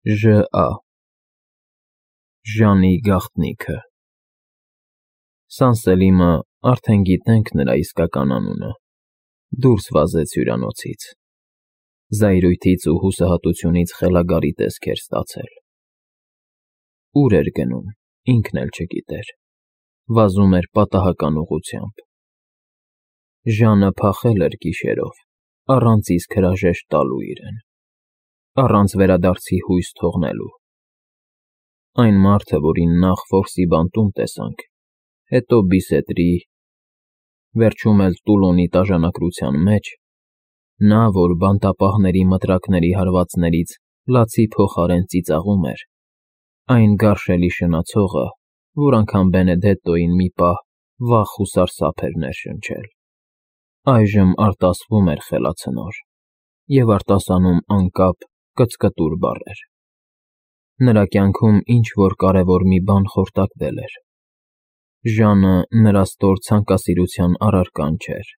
Ժ.Ա. Ժանի գաղտնիքը։ Սանսելիմը, արդեն գիտենք նրա իսկական անունը, դուրս վազեց հյուրանոցից, զայրույթից ու հուսահատությունից խելագարի տեսք էր ստացել։ Ուր էր գնում, ինքն էլ չգիտեր, վազում էր պատահական ուղղությամբ։ Ժանը փախել էր գիշերով, առանց իսկ հրաժեշտ տալու իրեն, առանց վերադարձի հույս թողնելու։ Այն մարդը, որին նախ որսի բանտում տեսանք, հետո Բիսետրի, վերջում էլ Տուլոնի տաժանակրության մեջ, նա, որ բանտապահների մտրակների հարվածներից լացի փոխարեն ծիծաղում էր, այն գարշելի շնացողը, որ անգամ Բենեդետտոյին մի պահ վախ ու սարսափ էր ներշնչել, այժմ արտասվում էր խելացնոր և արտասանում անկապ, կծկտուր բառեր։ Նրա կյանքում ինչ-որ կարևոր մի բան խորտակվել էր։ Ժանը նրա ստոր ցանկասիրության առարկան չէր։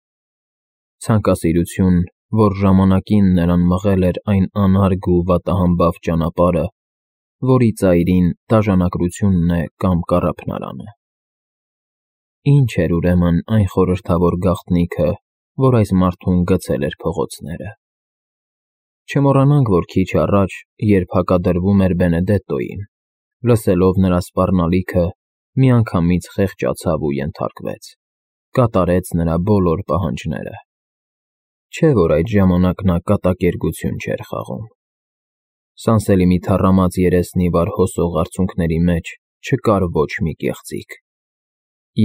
Ցանկասիրություն, որ ժամանակին նրան մղել էր այն անարգ ու վատահամբավ ճանապարհը, որի ծայրին դաժանակրությունն է կամ կառափնարանը։ Ինչ էր ուրեմն այն խորհրդավոր գաղտնիքը, որ այս մարդուն գցել էր փողոցները։ Չմոռանանք, որ քիչ առաջ, երբ հակադրվում էր Բենեդետտոյին, լսելով նրա սպառնալիքը, միանգամից խեղճացավ ու ենթարկվեց, կատարեց նրա բոլոր պահանջները։ Չէ՞ որ այդ ժամանակ նա կատակերգություն չէր խաղում։ Սանսելիմի թառամած երեսնի վար հոսող արցունքների մեջ չկար ոչ մի կեղծիք։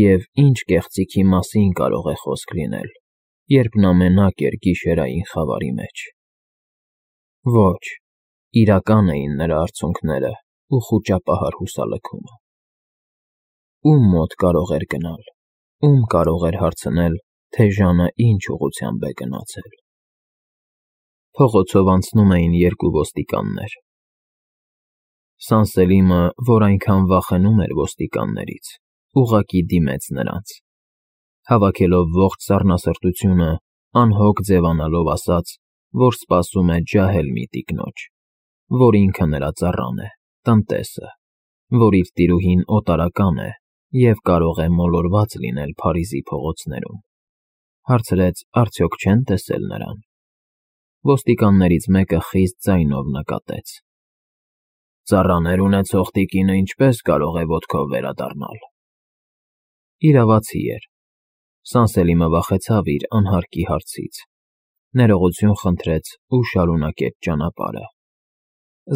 Եվ ինչ կեղծիքի մասին կարող է խոսք լինել, երբ նա մենակ էր գիշերային խավարի մեջ։ Ոչ, իրական էին նրա արցունքները ու խուճապահար հուսալքումը։ Ում մոտ կարող էր գնալ, ում կարող էր հարցնել, թե Ժանը ինչ ուղղությամբ է գնացել։ Փողոցով անցնում էին երկու ոստիկաններ։ Սանսելիմը, որ այնքան վախենում էր ոստիկաններից, ուղղակի դիմեց նրանց։ Հավաքելով ողջ սառնասրտությունը, անհոգ ձևանալով ասաց, որ սպասում է ջահել մի տիկնոջ, որ ինքը նրա ծառան է, տնտեսը, որ իր տիրուհին օտարական է և կարող է մոլորված լինել Փարիզի փողոցներում։ Հարցրեց, արդյոք չեն տեսել նրան։ Ոստիկաններից մեկը խիստ ձայնով նկատեց. Ծառաներ ունեցող տիկինը ինչպես կարող է ոտքով վերադառնալ։ Իրավացի էր։ Սանսելիմը վախեցավ իր անհարկի հարցից, ներողություն խնդրեց ու շարունակեց ճանապարհը։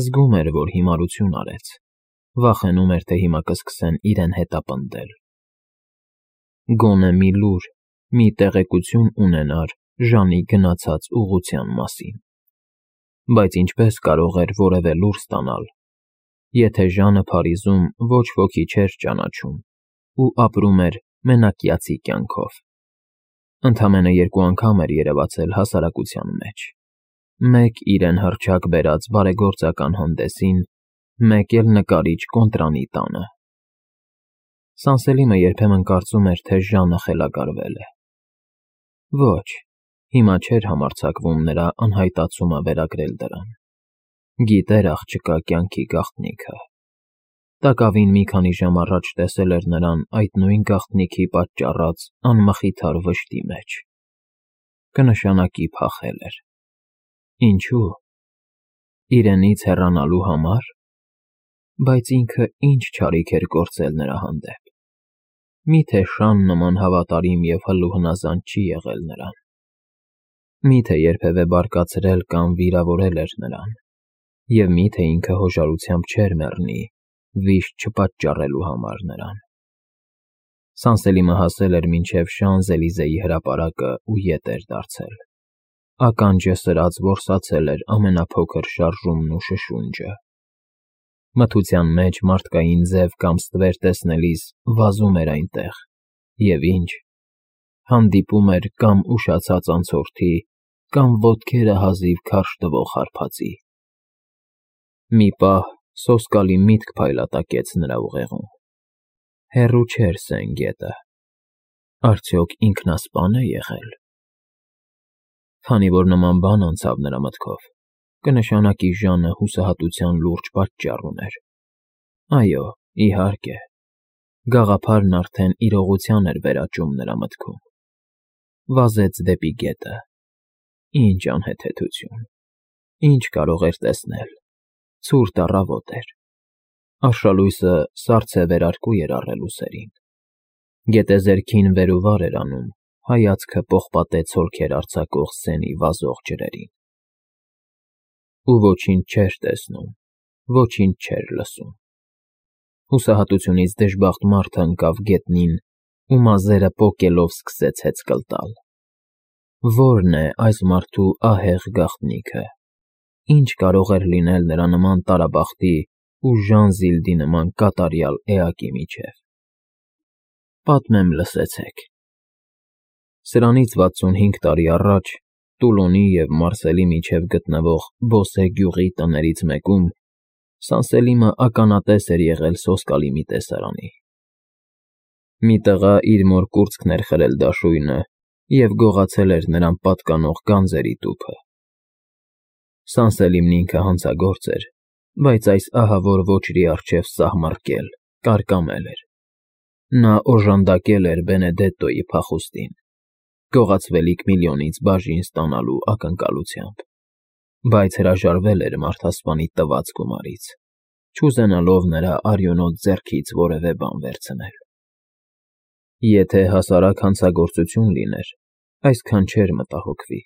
Զգում էր, որ հիմարություն արեց, վախենում էր, թե հիմա կսկսեն իրեն հետապնդել։ Գոնե մի լուր, մի տեղեկություն ունենար Ժանի գնացած ուղղության մասին։ Բայց ինչպես կարող էր որևէ լուր ստանալ, եթե Ժանը Փարիզում ոչ ոքի չէր ճանաչում ու ապրում էր մենակյացի կյանքով։ Ընդամենը երկու անգամ էր երևացել հասարակության մեջ, մեկ իրեն հռչակ բերած բարեգործական հանդեսին, մեկ էլ նկարիչ Կոնտրանի տանը։ Սանսելիմը երբեմն կարծում էր, թե Ժանը խելագարվել է։ Ոչ, հիմա չէր համարձակվում նրա անհայտացումը վերագրել դրան։ Գիտեր աղջկա կյանքի գաղտնիքը։ Տակավին մի քանի ժամ առաջ տեսել էր նրան այդ նույն գաղտնիքի պատճառած անմխիթար վշտի մեջ։ Կնշանակի փախել էր։ Ինչու՞։ Իրենից հեռանալու համար։ Բայց ինքը ինչ չարիք էր գործել նրա հանդեպ։ Միթե Շան նման հավատարիմ և հլուհնազանդ չի եղել նրան։ Միթե երբևէ բարկացրել կամ վիրավորել էր նրան։ Եվ միթե ինքը հոժարությամբ չէր մեռնի, վիշտ չպատճառելու համար նրան։ Սանսելիմը հասել էր մինչև Շանզելիզեի հրապարակը ու ետ էր դարձել։ Ականջը սրած որսացել էր ամենափոքր շարժումն ու շշունջը։ Մթության մեջ մարդկային ձև կամ ստվեր տեսնելիս վազում էր այնտեղ, և ինչ, հանդիպում էր կամ ուշացած անցորդի, կամ ոտքերը հազիվ քարշ տվող հարբածի։ Մի պահ սոսկալի միտք փայլատակեց նրա ուղեղում։ Հեռու չէր Սեն գետը։ Արդյոք ինքնասպա՞ն է եղել։ Քանի որ նման բան անցավ նրա մտքով, կնշանակի Ժանը հուսահատության լուրջ պատճառ ուներ։ Այո, իհարկե, գաղափարն արդեն իրողության էր վերաճում նրա մտքում։ Վազեց դեպի գետը։ Ինչ անհեթեթություն, ինչ կարող էր տեսնել, ցուրտ առավոտ էր։ Արշալույսը սառցե վերարկու էր առել ուսերին։ Գետեզերքին վեր ու վար էր անում, հայացքը պողպատե ցոլքեր արձակող սենի վազող ջրերին։ Ու ոչինչ չէր տեսնում, ոչինչ չէր լսում։ Հուսահատությունից դժբախտ մարդը ընկավ գետնին ու մազերը պոկելով սկսեց հեծկլ տալ։ Ո՞րն է այս մարդու ահեղ գաղտնիքը։ Ինչ կարող էր լինել նրա նման տարաբախտի ու Ժան Զիլդի նման կատարյալ էակի միջև։ Պատմեմ, լսեցեք։ Սրանից 65 տարի առաջ Տուլոնի և Մարսելի միջև գտնվող Բոսե գյուղի տներից մեկում Սանսելիմը ականատես էր եղել սոսկալի մի տեսարանի։ Մի տղա իր մոր կուրծքն էր խրել դաշույնը և գողացել էր նրան պատկանող գանձերի տուփը։ Սանսելիմն ինքը հանցագործ էր, բայց այս ահավոր ոճրի առջև սահմռկել, կարկամել էր։ Նա օժանդակել էր Բենեդետտոյի փախուստին, գողացվելիք միլիոնից բաժին ստանալու ակնկալությամբ, բայց հրաժարվել էր մարդասպանի տված գումարից, չուզենալով նրա արյունոտ ձեռքից որևէ բան վերցնել։ Եթե հասարակ հանցագործություն լիներ, այսքան չէր մտահոգվի,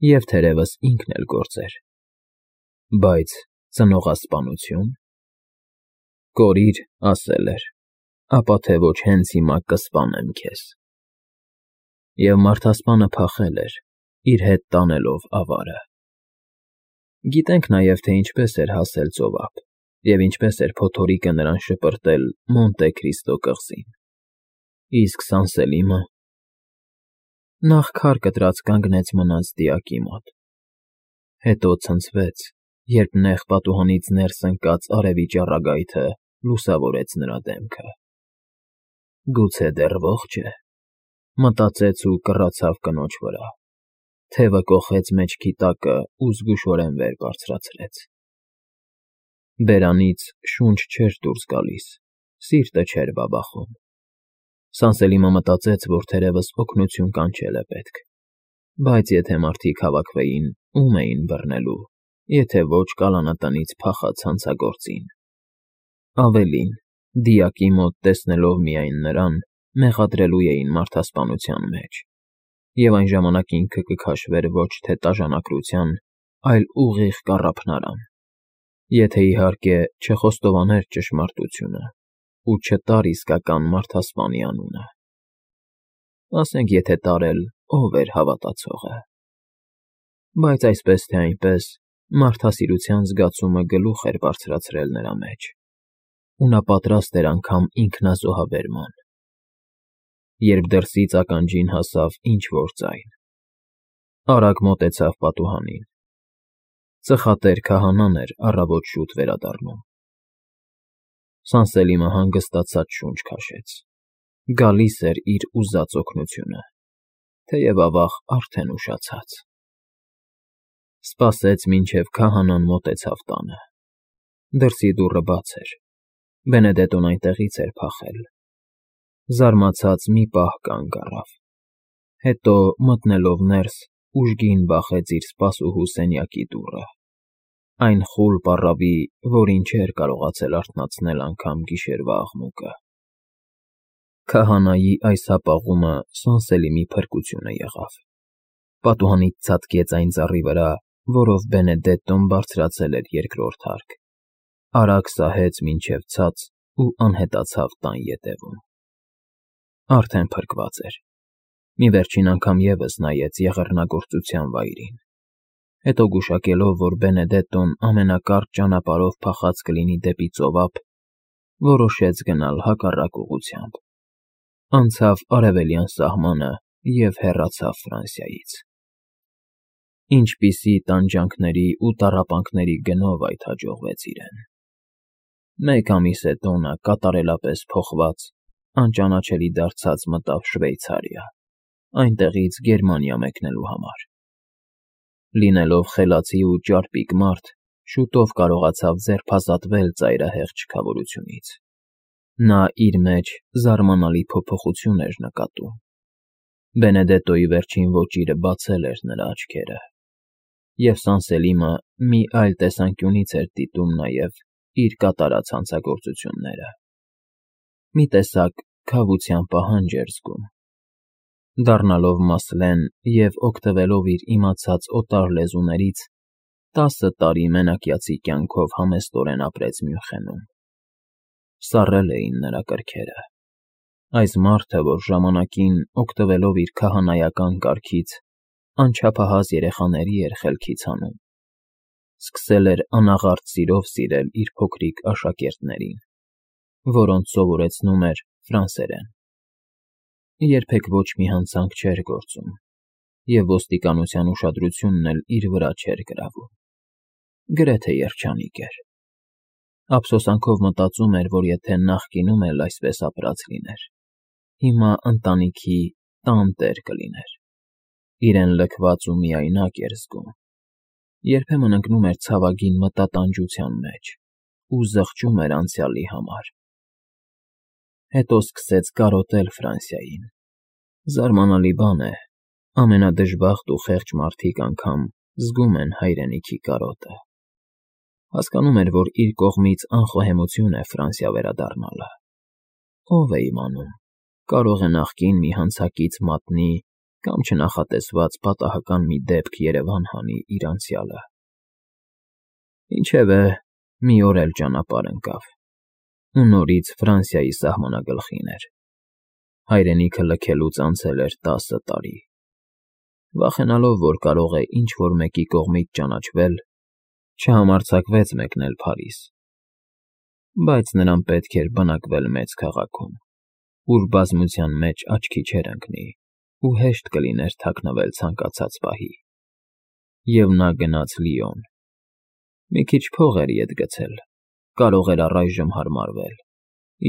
և թերևս ինքն էլ գործեր։ Բայց ծնողասպանությո՞ւն։ Կորիր, ասել էր, ապա թե ոչ հենց հիմա կսպանեմ քեզ։ Եվ մարդասպանը փախել էր, իր հետ տանելով ավարը։ Գիտենք նաև, թե ինչպես էր հասել ծովափ և ինչպես էր փոթորիկը նրան շպրտել Մոնտե Քրիստո կղզին։ Իսկ Սանսելիմը… Նախ քար կտրած կանգնեց մնաց դիակի մոտ, հետո ցնցվեց, երբ նեղ պատուհանից ներս ընկած արևի ճառագայթը լուսավորեց նրա դեմքը։ Գուցե դեռ ողջ է, մտածեց ու կռացավ կնոջ վրա, թևը կոխեց մեջքի տակը ու զգուշորեն վեր բարձրացրեց։ Բերանից շունչ չէր դուրս գալիս, սիրտը չէր բաբախում։ Սանսելիմը մտածեց, որ թերևս օգնություն կանչել է պետք, բայց եթե մարդիկ հավաքվեին, ում էին բռնելու, եթե ոչ կալանատնից փախած հանցագործին։ Ավելին, դիակի մոտ տեսնելով միայն նրան, մեղադրելու էին մարդասպանության մեջ, և այն ժամանակ ինքը կքաշվեր ոչ թե տաժանակրության, այլ ուղիղ կառափնարան, եթե իհարկե չխոստովաներ ճշմարտությունը ու չտար իսկական մարդասպանի անունը։ Ասենք եթե տարել, ով էր հավատացողը։ Բայց այսպես թե այնպես, մարդասիրության զգացումը գլուխ էր բարձրացրել նրա մեջ, ու նա պատրաստ էր անգամ ինքնազոհաբերման։ Երբ դրսից ականջին հասավ ինչ֊որ ձայն, արագ մոտեցավ պատուհանին։ Ծխատեր քահանան էր առավոտ շուտ վերադառնում։ Սանսելիմը հանգստացած շունչ քաշեց։ Գալիս էր իր ուզած օգնությունը, թեև ավաղ արդեն ուշացած։ Սպասեց, մինչև քահանան մոտեցավ տանը։ Դրսի դուռը բաց էր, Բենեդետտոն այնտեղից էր փախել։ Զարմացած մի պահ կանգ առավ, հետո մտնելով ներս, ուժգին բախեց իր սպասուհու սենյակի դուռը, այն խուլ պառավի, որին չէր կարողացել արթնացնել անգամ գիշերվա աղմուկը։ Քահանայի այս հապաղումը Սանսելիմի փրկությունը եղավ։ Պատուհանից ցատկեց այն ծառի վրա, որով Բենեդետտոն բարձրացել էր երկրորդ հարկ, արագ սահեց մինչև ցած ու անհետացավ տան ետևում։ Արդեն փրկված էր։ Մի վերջին անգամ ևս նայեց եղեռնագործության վայրին, հետո գուշակելով, որ Բենեդետտոն ամենակարճ ճանապարհով փախած կլինի դեպի ծովափ, որոշեց գնալ հակառակ ուղղությամբ։ Անցավ արևելյան սահմանը և հեռացավ Ֆրանսիայից։ Ինչպիսի տանջանքների ու տառապանքների գնով այդ հաջողվեց իրեն։ Մեկ ամիս հետո նա կատարելապես փոխված, անճանաչելի դարձած մտավ Շվեյցարիա, այնտեղից Գերմանիա մեկնելու համար։ Լինելով խելացի ու ճարպիկ մարդ, շուտով կարողացավ ձերբազատվել ծայրահեղ չքավորությունից։ Նա իր մեջ զարմանալի փոփոխություն էր նկատում։ Բենեդետոյի վերջին ոճիրը բացել էր նրա աչքերը, և Սանսելիմը մի այլ տեսանկյունից էր դիտում նաև իր կատարած հանցագործությունները։ Մի տեսակ քավության պահանջ էր զգում։ Դառնալով Մասլեն և օգտվելով իր իմացած օտար լեզուներից, 10 տարի մենակյացի կյանքով համեստորեն ապրեց Մյունխենում։ Սառել էին նրա կրքերը։ Այս մարդը, որ ժամանակին, օգտվելով իր քահանայական կարգից, անչափահաս երեխաների էր խելքից հանում, սկսել էր անաղարտ սիրով սիրել իր փոքրիկ աշակերտներին, որոնց սովորեցնում էր ֆրանսերեն։ Երբեք ոչ մի հանցանք չէր գործում, և ոստիկանության ուշադրությունն էլ իր վրա չէր գրավում։ Գրեթե երջանիկ էր։ Ափսոսանքով մտածում էր, որ եթե նախկինում էլ այսպես ապրած լիներ, հիմա ընտանիքի տան տեր կլիներ։ Իրեն լքված ու միայնակ էր զգում։ Երբեմն ընկնում էր ցավագին մտատանջության մեջ ու զղջում էր անցյալի համար։ Հետո սկսեց կարոտել Ֆրանսիային։ Զարմանալի բան է, ամենադժբախտ ու խեղճ մարդիկ անգամ զգում են հայրենիքի կարոտը։ Հասկանում էր, որ իր կողմից անխոհեմություն է Ֆրանսիա վերադառնալը։ Ով է իմանում, կարող է նախկին մի հանցակից մատնի կամ չնախատեսված պատահական մի դեպք Երևան հանի իր անցյալը։ Ինչևէ, մի օր էլ ճանապարհ ընկավ, ու նորից Ֆրանսիայի սահմանագլխին էր։ Հայրենիքը լքելուց անցել էր 10 տարի։ Վախենալով, որ կարող է ինչ-որ մեկի կողմից ճանաչվել, չհամարձակվեց մեկնել Փարիզ։ Բայց նրան պետք էր բնակվել մեծ քաղաքում, ուր բազմության մեջ աչքի չէր ընկնի ու հեշտ կլիներ թաքնվել ցանկացած պահի։ Եվ նա գնաց Լիոն։ Մի քիչ փող էր ետ գցել, կարող էր առայժմ հարմարվել,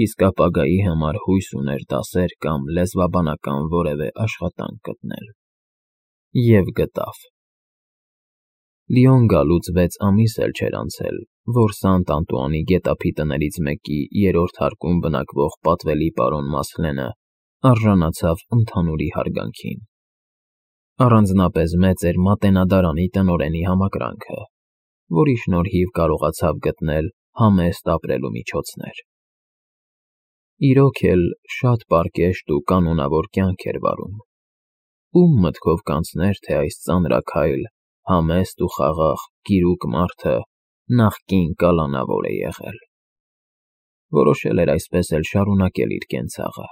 իսկ ապագայի համար հույս ուներ դասեր կամ լեզվաբանական որևէ աշխատանք գտնել։ Եվ գտավ։ Լիոն գալուց 6 ամիս էլ չէր անցել, որ Սանտ Անտուանի գետափի տներից մեկի 3-րդ հարկում բնակվող պատվելի պարոն Մասլենը արժանացավ ընդհանուրի հարգանքին։ Առանձնապես մեծ էր Մատենադարանի տնօրենի համակրանքը, որի շնորհիվ կարողացավ գտնել համեստ ապրելու միջոցներ։ Իրոք էլ շատ պարկեշտ ու կանոնավոր կյանք էր վարում։ Ում մտքով կանցներ, թե այս ծանրաքայլ, համեստ ու խաղաղ գիրուկ մարդը նախկին կալանավոր է եղել։ Որոշել էր այսպես էլ շարունակել իր կենցաղը,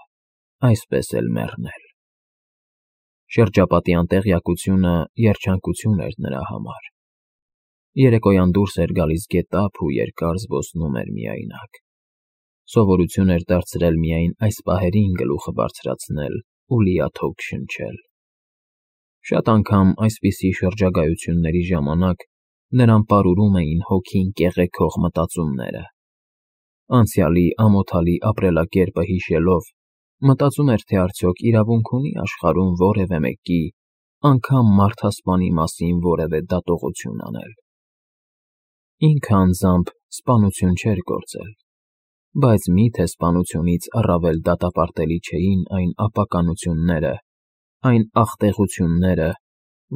այսպես էլ մեռնել։ Շրջապատի անտեղյակությունը երջանկություն էր նրա համար։ Երեկոյան դուրս էր գալիս գետափ ու երկար զբոսնում էր միայնակ։ Սովորություն էր դարձրել միայն այս պահերին գլուխը բարձրացնել ու լիաթոք շնչել։ Շատ անգամ այսպիսի շրջագայությունների ժամանակ նրան պարուրում էին հոգին կեղեքող մտածումները։ Անցյալի ամոթալի ապրելակերպը հիշելով, մտածում էր, թե արդյոք իրավունք ունի աշխարհում որևէ մեկի, անգամ մարդասպանի մասին որևէ դատողություն անել։ Ինքը անձամբ սպանություն չէր գործել, բայց մի՞թե սպանությունից առավել դատապարտելի չէին այն ապականությունները, այն աղտեղությունները,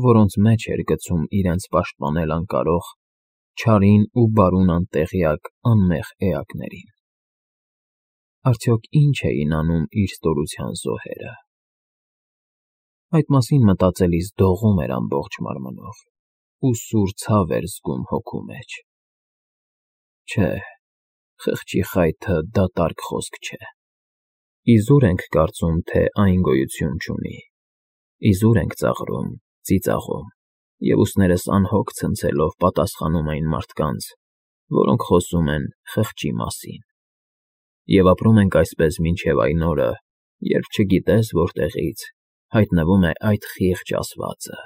որոնց մեջ էր գցում իրենց պաշտպանել անկարող, չարին ու բարուն անտեղյակ անմեղ էակներին։ Արդյոք ինչ էին անում իր ստորության զոհերը։ Այդ մասին մտածելիս դողում էր ամբողջ մարմնով ու սուր ցավ էր զգում հոգու մեջ։ Չէ, խղճի խայթը դատարկ խոսք չէ։ Իզուր ենք կարծում, թե այն գոյություն չունի։ Իզուր ենք ծաղրում, ծիծաղում, և ուսներս անհոգ ցնցելով պատասխանում այն մարդկանց, որոնք խոսում են խղճի մասին։ Եվ ապրում ենք այսպես մինչև այն օրը, երբ չգիտես որտեղից հայտնվում է այդ խիղճ ասվածը,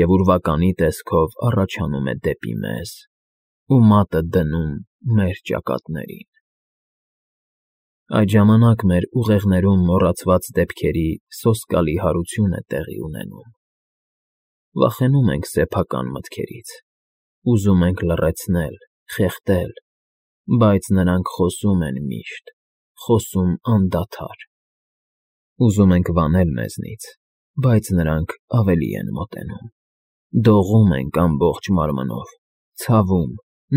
և ուրվականի տեսքով առաջանում է դեպի մեզ ու մատը դնում մեր ճակատներին։ Այդ ժամանակ մեր ուղեղներում մոռացված դեպքերի սոսկալի հարություն է տեղի ունենում։ Վախենում ենք սեփական մտքերից, ուզում ենք լռեցնել, խեղդել, բայց նրանք խոսում են միշտ, խոսում անդադար։ Ուզում ենք վանել մեզնից, բայց նրանք ավելի են մոտենում, դողում ենք ամբողջ մարմնով, ցավում,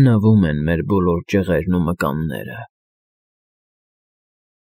նվում են մեր բոլոր ճղերն ու մկանները։